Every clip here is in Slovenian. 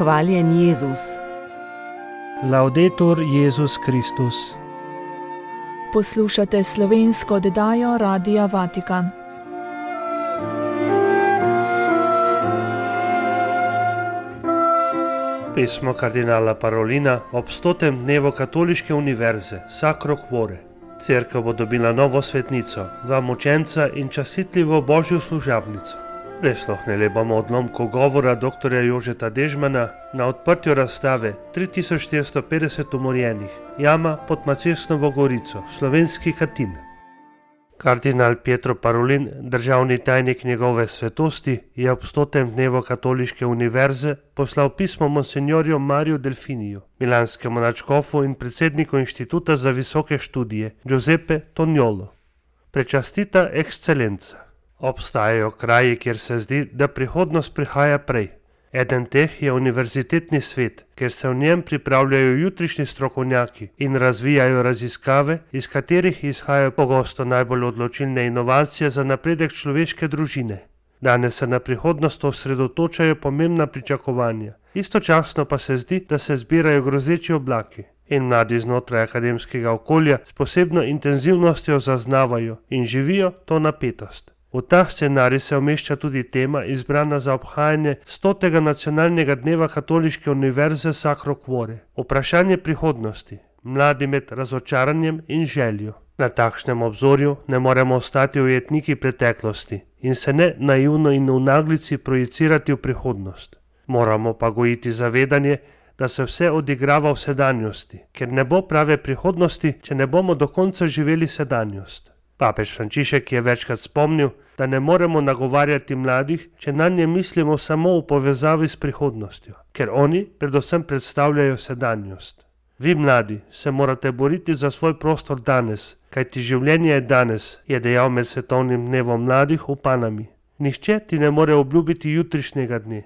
Hvaljen Jezus. Laudetur Jezus Kristus. Poslušate slovensko oddajo Radia Vatikan. Pismo kardinala Parolina ob 100. dnevu Katoliške univerze Sacro Cuore. Cerkev bo dobila novo svetnico, 2 mučenca in častitljivo božjo služabnico. Prisluhnili bomo odlomku govora dr. Jožeta Dežmana na odprtju razstave 3450 umorjenih, jama pod Macesnovo gorico, slovenski Katin. Kardinal Pietro Parolin, državni tajnik njegove svetosti, je ob 100. dnevu Katoliške univerze poslal pismo monsignorju Mariju Delfiniju, milanskemu nadškofu in predsedniku Inštituta za visoke študije Giuseppe Toniolo. Prečastita ekscelenca. Obstajajo kraji, kjer se zdi, da prihodnost prihaja prej. Eden teh je univerzitetni svet, kjer se v njem pripravljajo jutrišnji strokovnjaki in razvijajo raziskave, iz katerih izhajajo pogosto najbolj odločilne inovacije za napredek človeške družine. Danes se na prihodnost osredotočajo pomembna pričakovanja, istočasno pa se zdi, da se zbirajo grozeči oblaki. In mladi znotraj akademskega okolja s posebno intenzivnostjo zaznavajo in živijo to napetost. V ta scenarij se umešča tudi tema izbrana za obhajanje 100. nacionalnega dneva Katoliške univerze Sacro Cuore. Vprašanje prihodnosti, mladi med razočaranjem in željo. Na takšnem obzorju ne moremo ostati ujetniki preteklosti in se ne naivno in v naglici projicirati v prihodnost. Moramo pa gojiti zavedanje, da se vse odigrava v sedanjosti, ker ne bo prave prihodnosti, če ne bomo do konca živeli sedanjost. Papež Frančišek je večkrat spomnil, da ne moremo nagovarjati mladih, če nanje mislimo samo v povezavi s prihodnostjo, ker oni predvsem predstavljajo sedanjost. Vi mladi se morate boriti za svoj prostor danes, kajti življenje je danes, je dejal med svetovnim dnevom mladih v Panami. Nihče ti ne more obljubiti jutrišnjega dne.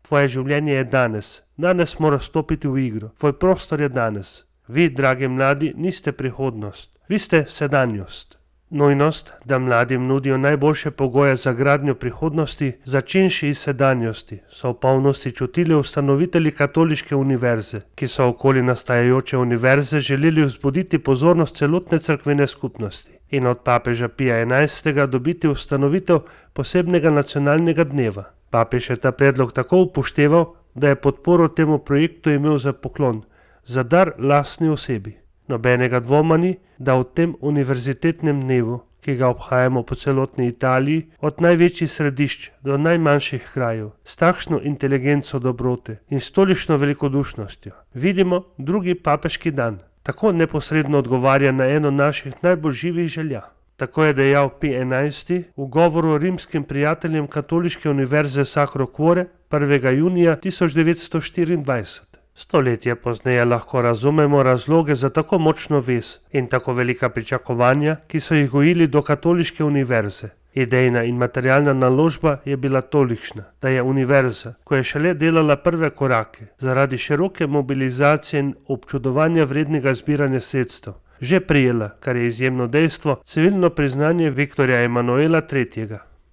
Tvoje življenje je danes, danes moraš stopiti v igro, tvoj prostor je danes. Vi, dragi mladi, niste prihodnost, vi ste sedanjost. Nujnost, da mladim nudijo najboljše pogoje za gradnjo prihodnosti, začenši iz sedanjosti, so v polnosti čutili ustanovitelji Katoliške univerze, ki so okoli nastajajoče univerze želeli vzbuditi pozornost celotne cerkvene skupnosti in od papeža Pija XI. Dobiti ustanovitev posebnega nacionalnega dneva. Papež je ta predlog tako upošteval, da je podporo temu projektu imel za poklon, za dar lastni osebi. Nobenega dvoma ni, da v tem univerzitetnem dnevu, ki ga obhajamo po celotni Italiji, od največjih središč do najmanjših krajev, s takšno inteligenco dobrote in s tolikšno velikodušnostjo, vidimo drugi papeški dan. Tako neposredno odgovarja na eno naših najbolj živih želja. Tako je dejal Pij XI. V govoru rimskim prijateljem Katoliške univerze Sacro Cuore 1. junija 1924. Stoletje pozneje lahko razumemo razloge za tako močno vez in tako velika pričakovanja, ki so jih gojili do Katoliške univerze. Idejna in materialna naložba je bila tolikšna, da je univerza, ko je šele delala prve korake, zaradi široke mobilizacije in občudovanja vrednega zbiranja sredstev, že prijela, kar je izjemno dejstvo, civilno priznanje Viktorja Emanuela III.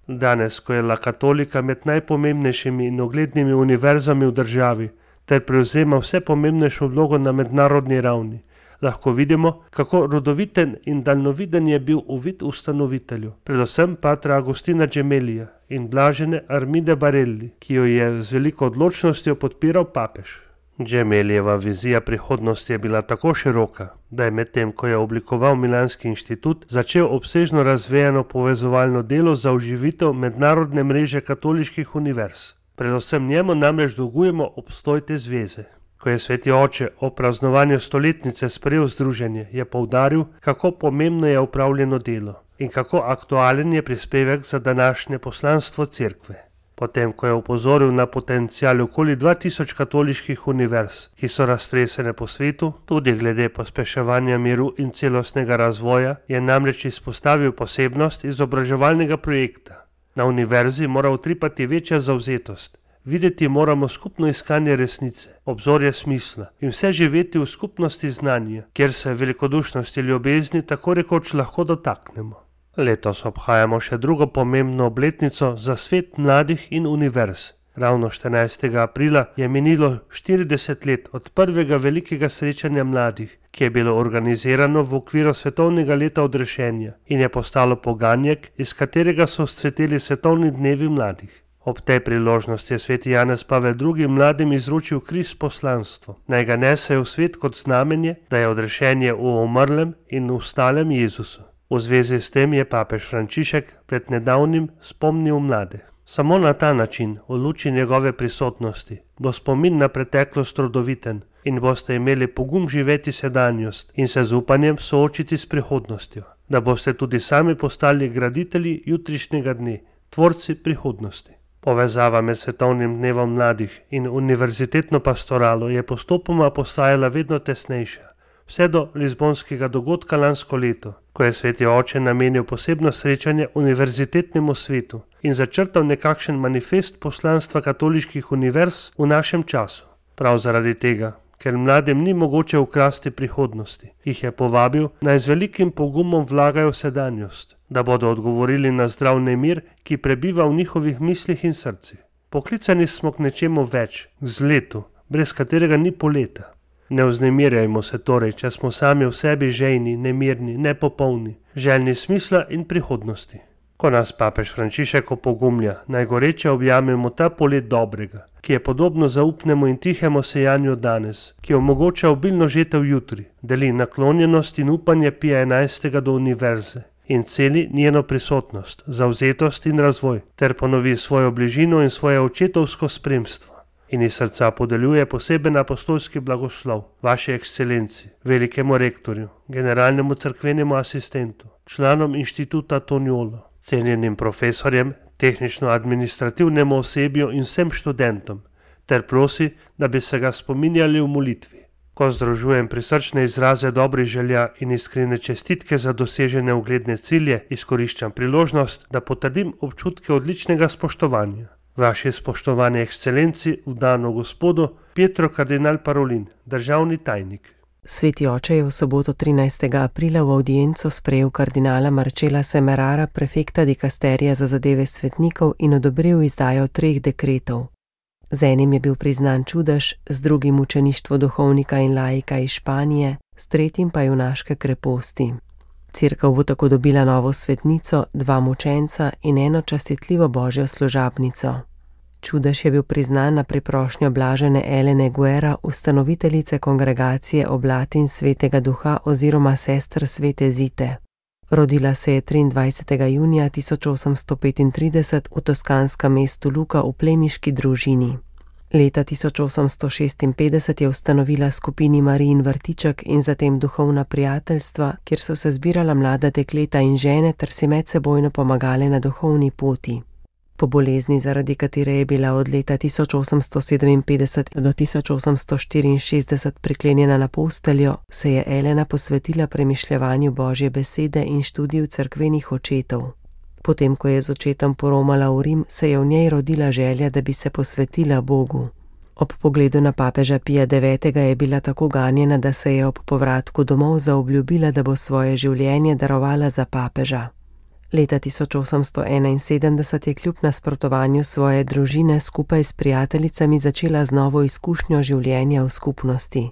Danes, ko je La Katolika med najpomembnejšimi in uglednimi univerzami v državi, ter prevzema vse pomembnejšo vlogo na mednarodni ravni, lahko vidimo, kako rodoviten in daljnoviden je bil uvid ustanovitelju, predvsem patra Agustina Gemelija in blažene Armide Barelli, ki jo je z veliko odločnostjo podpiral papež. Gemelijeva vizija prihodnosti je bila tako široka, da je medtem, ko je oblikoval Milanski inštitut, začel obsežno razvejano povezovalno delo za oživitev mednarodne mreže katoliških univerz. Predvsem njemu namreč dolgujemo obstoj te zveze. Ko je sveti oče o praznovanju stoletnice sprejel združenje, je poudaril, kako pomembno je upravljeno delo in kako aktualen je prispevek za današnje poslanstvo cerkve. Potem, ko je opozoril na potencial okoli 2000 katoliških univerz, ki so raztresene po svetu, tudi glede pospeševanja miru in celostnega razvoja, je namreč izpostavil posebnost izobraževalnega projekta. Na univerzi mora utripati večja zavzetost, videti moramo skupno iskanje resnice, obzorje smisla in vse živeti v skupnosti znanja, kjer se velikodušnosti ljubezni tako rekoč lahko dotaknemo. Letos obhajamo še drugo pomembno obletnico za svet mladih in univerz. Ravno 14. aprila je minilo 40 let od prvega velikega srečanja mladih, ki je bilo organizirano v okviru svetovnega leta odrešenja in je postalo poganjek, iz katerega so vzcveteli svetovni dnevi mladih. Ob tej priložnosti je sveti Janez Pavel II. Mladim izročil križ poslanstvo, naj ga nesejo v svet kot znamenje, da je odrešenje v umrlem in vstalem Jezusu. V zvezi s tem je papež Frančišek pred nedavnim spomnil mlade. Samo na ta način, v luči njegove prisotnosti, bo spomin na preteklost rodoviten in boste imeli pogum živeti sedanjost in se z upanjem soočiti s prihodnostjo, da boste tudi sami postali graditelji jutrišnjega dne, tvorci prihodnosti. Povezava med svetovnim dnevom mladih in univerzitetno pastoralo je postopoma postajala vedno tesnejša, vse do lizbonskega dogodka lansko leto, ko je sveti oče namenil posebno srečanje univerzitetnemu svetu in začrtal nekakšen manifest poslanstva katoliških univerz v našem času. Prav zaradi tega, ker mladim ni mogoče ukrasti prihodnosti, jih je povabil, naj z velikim pogumom vlagajo v sedanjost, da bodo odgovorili na zdrav nemir, ki prebiva v njihovih mislih in srcih. Poklicani smo k nečemu več, k zletu, brez katerega ni poleta. Ne vznemirjajmo se torej, če smo sami v sebi žejni, nemirni, nepopolni, željni smisla in prihodnosti. Ko nas papež Frančišek opogumlja, naj goreče objamemo ta polet dobrega, ki je podobno zaupnemu in tihemu sejanju danes, ki omogoča obilno žetev jutri, deli naklonjenost in upanje Pija 11. do univerze in celi njeno prisotnost, zavzetost in razvoj, ter ponovi svojo bližino in svoje očetovsko spremstvo. In iz srca podeljuje poseben apostolski blagoslov vaši ekscelenci, velikemu rektorju, generalnemu cerkvenemu asistentu, članom inštituta Toniolo, cenjenim profesorjem, tehnično-administrativnemu osebju in vsem študentom, ter prosi, da bi se ga spominjali v molitvi. Ko združujem prisrčne izraze dobrih želja in iskrene čestitke za dosežene ugledne cilje, izkoriščam priložnost, da potrdim občutke odličnega spoštovanja. Vaši spoštovani ekscelenci, vdano gospodu, Pietro kardinal Parolin, državni tajnik. Sveti oče je v soboto 13. aprila v avdienco sprejel kardinala Marcela Semerara, prefekta dikasterija za zadeve svetnikov, in odobril izdajo 3 dekretov. Z enim je bil priznan čudež, z drugim učeništvo duhovnika in laika iz Španije, s tretjim pa junaške kreposti. Cerkev bo tako dobila novo svetnico, 2 mučenca in 1 častitljivo božjo služabnico. Čudež je bil priznan na priprošnjo blažene Elene Guerra, ustanoviteljice kongregacije Oblatin svetega duha oziroma sester svete Zite. Rodila se je 23. junija 1835 v toskanskem mestu Luka v plemiški družini. Leta 1856 je ustanovila skupini Marijin vrtiček in zatem duhovna prijateljstva, kjer so se zbirala mlada dekleta in žene ter si medsebojno pomagale na duhovni poti. Po bolezni, zaradi katere je bila od leta 1857 do 1864 priklenjena na posteljo, se je Elena posvetila premišljevanju Božje besede in študiju cerkvenih očetov. Potem, ko je z očetom poromala v Rim, se je v njej rodila želja, da bi se posvetila Bogu. Ob pogledu na papeža Pija IX. Je bila tako ganjena, da se je ob povratku domov zaobljubila, da bo svoje življenje darovala za papeža. Leta 1871 je kljub nasprotovanju svoje družine skupaj s prijateljicami začela z novo izkušnjo življenja v skupnosti.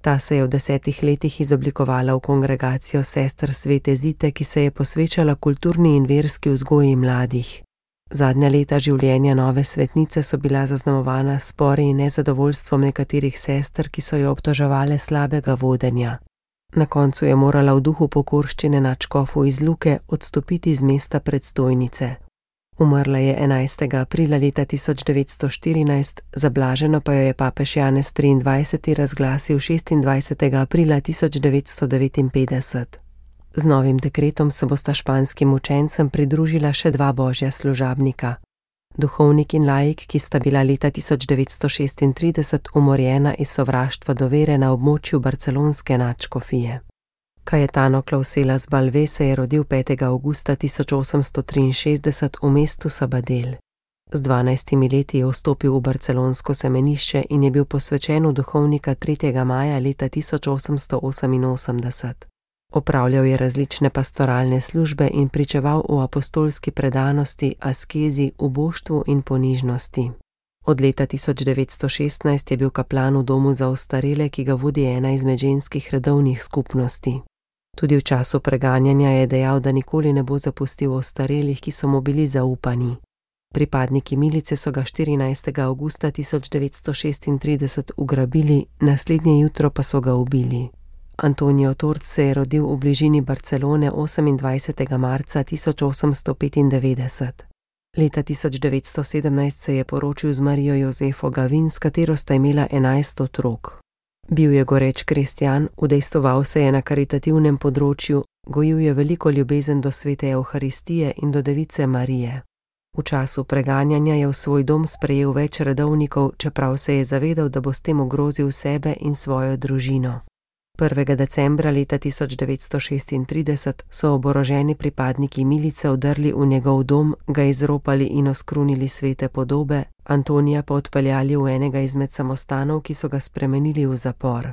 Ta se je v 10 letih izoblikovala v kongregacijo sester svete Zite, ki se je posvečala kulturni in verski vzgoji mladih. Zadnja leta življenja nove svetnice so bila zaznamovana s spori in nezadovoljstvom nekaterih sester, ki so jo obtoževale slabega vodenja. Na koncu je morala v duhu pokorščine nadškofu iz Luke odstopiti z mesta predstojnice. Umrla je 11. aprila leta 1914, zablaženo pa jo je papež Janez XXIII. Razglasil 26. aprila 1959. Z novim dekretom se bosta španskim učencem pridružila še 2 božja služabnika. Duhovnik in laik, ki sta bila leta 1936 umorjena iz sovraštva do vere na območju barcelonske nadškofije. Cayetano Clauselas Balve se je rodil 5. avgusta 1863 v mestu Sabadell. Z 12 leti je vstopil v barcelonsko semenišče in je bil posvečen v duhovnika 3. maja leta 1888. Opravljal je različne pastoralne službe in pričeval o apostolski predanosti, askezi, uboštvu in ponižnosti. Od leta 1916 je bil kaplan v domu za ostarele, ki ga vodi ena izmed ženskih redovnih skupnosti. Tudi v času preganjanja je dejal, da nikoli ne bo zapustil ostarelih, ki so mu bili zaupani. Pripadniki milice so ga 14. avgusta 1936 ugrabili, naslednje jutro pa so ga ubili. Antonio Tort se je rodil v bližini Barcelone 28. marca 1895. Leta 1917 se je poročil z Marijo Jozefo Gavin, s katero sta imela 11 otrok. Bil je goreč kristjan, udejstvoval se je na karitativnem področju, gojil je veliko ljubezen do svete Evharistije in do Device Marije. V času preganjanja je v svoj dom sprejel več redovnikov, čeprav se je zavedal, da bo s tem ogrozil sebe in svojo družino. 1. decembra leta 1936 so oboroženi pripadniki milice vdrli v njegov dom, ga izropali in oskrunili svete podobe, Antonija pa odpeljali v enega izmed samostanov, ki so ga spremenili v zapor.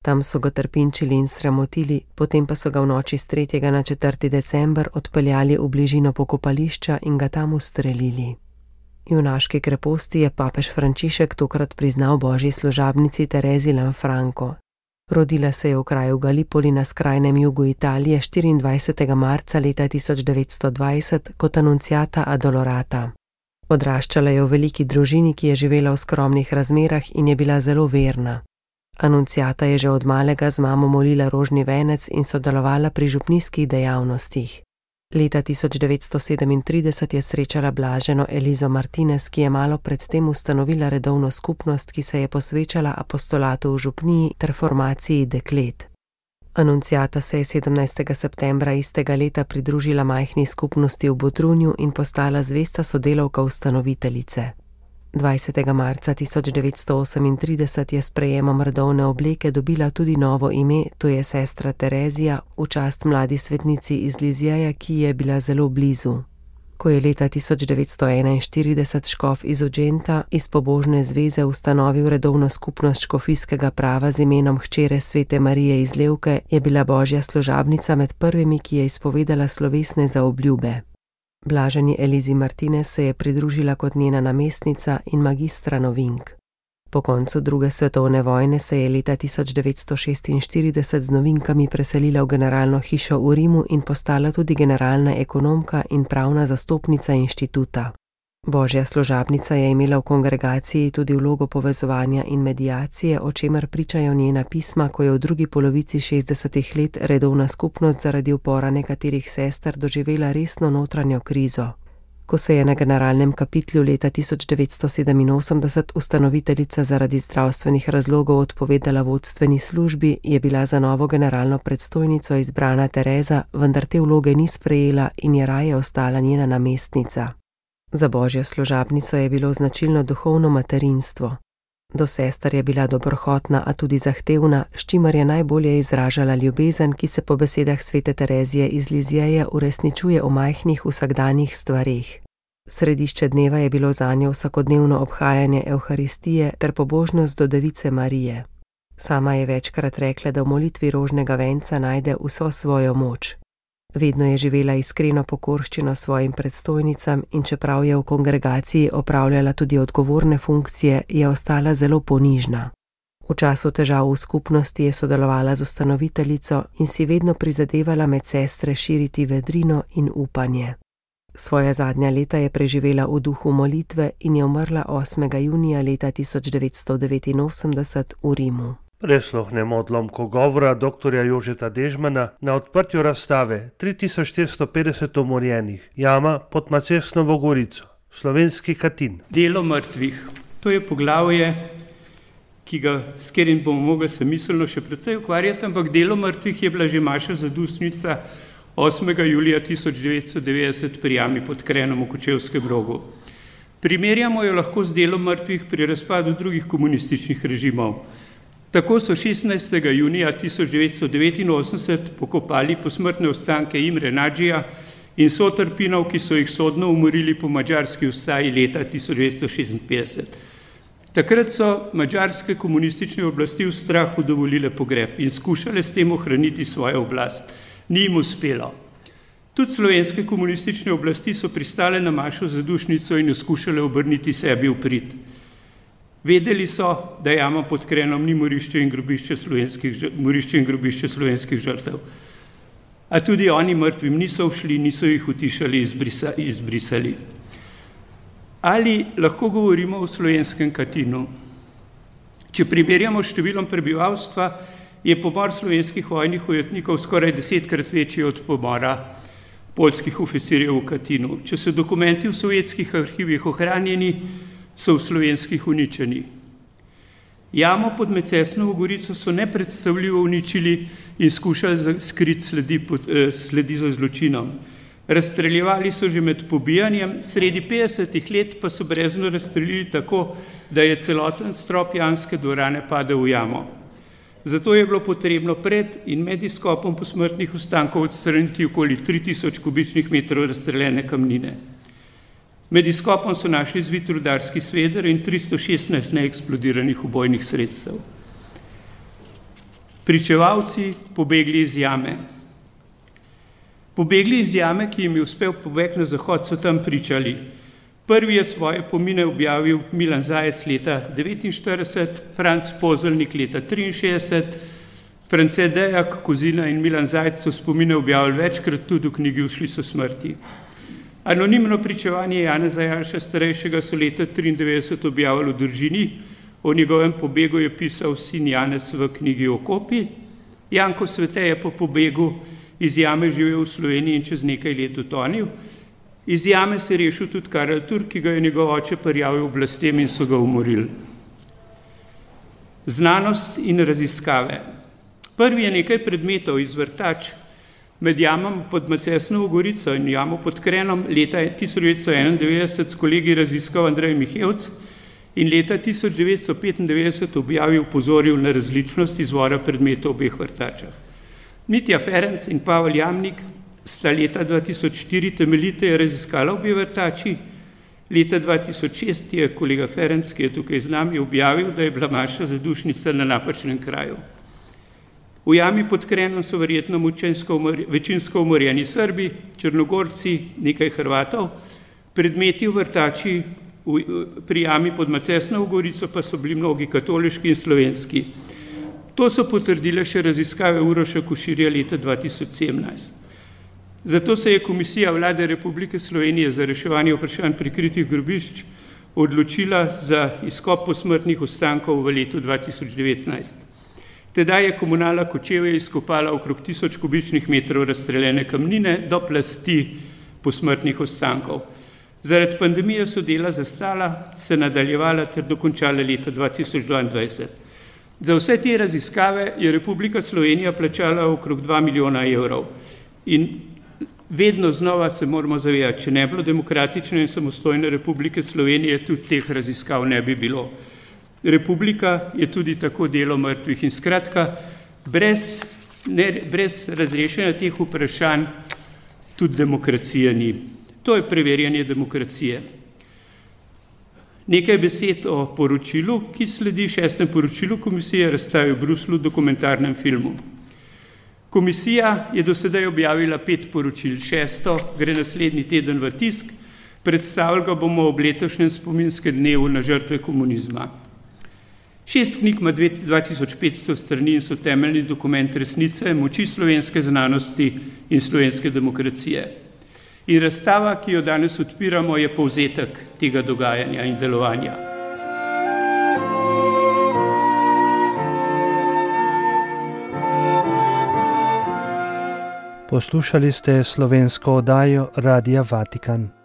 Tam so ga trpinčili in sramotili, potem pa so ga v noči s 3. na 4. december odpeljali v bližino pokopališča in ga tam ustrelili. Junaški kreposti je papež Frančišek tokrat priznal božji služabnici Terezi Lanfranco. Rodila se je v kraju Gallipoli na skrajnem jugu Italije 24. marca leta 1920 kot anunciata Adolorata. Odraščala je v veliki družini, ki je živela v skromnih razmerah in je bila zelo verna. Anunciata je že od malega z mamo molila rožni venec in sodelovala pri župnijskih dejavnostih. Leta 1937 je srečala blaženo Elizo Martinez, ki je malo predtem ustanovila redovno skupnost, ki se je posvečala apostolatu v župniji ter formaciji deklet. Anunciata se je 17. septembra istega leta pridružila majhni skupnosti v Bodrunju in postala zvesta sodelavka ustanoviteljice. 20. marca 1938 je s sprejemom redovne obleke dobila tudi novo ime, to je sestra Terezija, v čast mladi svetnici iz Lizjeja, ki je bila zelo blizu. Ko je leta 1941 škof iz Ugenta iz pobožne zveze ustanovil redovno skupnost škofijskega prava z imenom hčere svete Marije iz Levke, je bila božja služabnica med prvimi, ki je izpovedala slovesne zaobljube. Blaženi Elizi Martinez se je pridružila kot njena namestnica in magistra novink. Po koncu druge svetovne vojne se je leta 1946 z novinkami preselila v generalno hišo v Rimu in postala tudi generalna ekonomka in pravna zastopnica inštituta. Božja služabnica je imela v kongregaciji tudi vlogo povezovanja in mediacije, o čemer pričajo njena pisma, ko je v drugi polovici 60. let redovna skupnost zaradi upora nekaterih sester doživela resno notranjo krizo. Ko se je na generalnem kapitlju leta 1987 ustanoviteljica zaradi zdravstvenih razlogov odpovedala vodstveni službi, je bila za novo generalno predstojnico izbrana Tereza, vendar te vloge ni sprejela in je raje ostala njena namestnica. Za božjo služabnico je bilo značilno duhovno materinstvo. Do sester je bila dobrohotna, a tudi zahtevna, s čimer je najbolje izražala ljubezen, ki se po besedah svete Terezije iz Lizjeja uresničuje v majhnih vsakdanjih stvareh. Središče dneva je bilo zanjo vsakodnevno obhajanje Evharistije ter pobožnost do Device Marije. Sama je večkrat rekla, da v molitvi rožnega venca najde vso svojo moč. Vedno je živela iskreno pokorščino svojim predstojnicam in čeprav je v kongregaciji opravljala tudi odgovorne funkcije, je ostala zelo ponižna. V času težav v skupnosti je sodelovala z ustanoviteljico in si vedno prizadevala med sestre širiti vedrino in upanje. Svoja zadnja leta je preživela v duhu molitve in je umrla 8. junija leta 1989 v Rimu. Presluhnemo odlomko govora dr. Jožeta Dežmana na odprtju razstave 3450 umorjenih, jama pod Macesnovo gorico, slovenski Katin. Delo mrtvih. To je poglavje, s katerim bomo mogli se miselno še precej ukvarjati, ampak delo mrtvih je bila že Maša Zadušnica 8. julija 1990 pri jami pod Krenom v Kočevskem Rogu. Primerjamo jo lahko z delom mrtvih pri razpadu drugih komunističnih režimov. Tako so 16. junija 1989 pokopali posmrtne ostanke Imre Nadžija in sotrpinov, ki so jih sodno umorili po madžarski ustaji leta 1956. Takrat so madžarske komunistične oblasti v strahu dovolile pogreb in skušale s tem ohraniti svojo oblast. Ni jim uspelo. Tudi slovenske komunistične oblasti so pristale na Mašo Zadušnico in jo skušale obrniti sebi v prid. Vedeli so, da jama pod Krenom ni morišče in grobišče slovenskih žrtev. A tudi oni mrtvim niso všli, niso jih utišali, izbrisali. Ali lahko govorimo o slovenskem Katinu? Če primerjamo s številom prebivalstva, je pomor slovenskih vojnih ujetnikov skoraj 10-krat večji od pomora poljskih oficirjev v Katinu. Če so dokumenti v sovjetskih arhivih ohranjeni, so v slovenskih uničeni. Jamo pod Mecesnovo Gorico so nepredstavljivo uničili in skušali skriti sledi za zločinom. Razstreljevali so že med pobijanjem, sredi 50-ih let pa so brezno razstreljili tako, da je celoten strop jamske dvorane padel v jamo. Zato je bilo potrebno pred in med izkopom posmrtnih ostankov odstraniti okoli 3000 kubičnih metrov razstreljene kamnine. Med izkopom so našli zvit rudarski sveder in 316 neeksplodiranih ubojnih sredstev. Pričevalci pobegli iz jame. Pobegli iz jame, ki jim je uspel pobeg na zahod, so tam pričali. Prvi je svoje pomine objavil Milan Zajec leta 1949, Franc Pozelnik leta 1963, France Dejak, Kozina in Milan Zajec so spomine objavili večkrat, tudi v knjigi Ušli so smrti. Anonimno pričevanje Janeza Janše starejšega so leta 1993 objavili v Družini, o njegovem pobegu je pisal sin Janez v knjigi Okopi. Janko Svete je po pobegu iz jame živel v Sloveniji in čez nekaj let utonil. Iz jame se je rešil tudi Karel Turk, ki ga je njegov oče prijavil oblastem in so ga umorili. Znanost in raziskave. Prvi je nekaj predmetov iz vrtač med jamom pod Mecesnovo Gorico in jamo pod Krenom leta 1991 s kolegi raziskal Andrej Mihevc in leta 1995 objavil opozoril na različnost izvora predmetov v obeh vrtačah. Mitja Ferenc in Pavel Jamnik sta leta 2004 temeljiteje raziskala obe vrtači. Leta 2006 je kolega Ferenc, ki je tukaj z nami, objavil, da je bila maša zadušnica na napačnem kraju. V jami pod Krenom so verjetno večinsko umorjeni Srbi, Črnogorci, nekaj Hrvatov. Predmeti v vrtači pri jami pod Mecesnovo Gorico pa so bili mnogi katoliški in slovenski. To so potrdile še raziskave Uroša Koširja leta 2017. Zato se je Komisija Vlade Republike Slovenije za reševanje vprašanj prikritih grobišč odločila za izkop posmrtnih ostankov v letu 2019. Tedaj je Komunala Kočevje izkopala okrog 1000 kubičnih metrov razstreljene kamnine do plasti posmrtnih ostankov. Zaradi pandemije so dela zastala, se nadaljevala ter dokončala leta 2022. Za vse te raziskave je Republika Slovenija plačala okrog 2 milijona evrov. In vedno znova se moramo zavedati, če ne bilo demokratične in samostojne Republike Slovenije, tudi teh raziskav ne bi bilo. Republika je tudi tako delo mrtvih in skratka, brez razrešenja teh vprašanj tudi demokracije ni. To je preverjanje demokracije. Nekaj besed o poročilu, ki sledi 6. poročilu komisije, razstavi v Bruslju dokumentarnem filmu. Komisija je do sedaj objavila 5 poročil, 6. gre naslednji teden v tisk, predstavili ga bomo ob letošnjem spominskem dnevu na žrtve komunizma. 6 knjig ima 2500 strani in so temeljni dokument resnice, moči slovenske znanosti in slovenske demokracije. In razstava, ki jo danes odpiramo, je povzetek tega dogajanja in delovanja. Poslušali ste slovensko oddajo Radia Vatikan.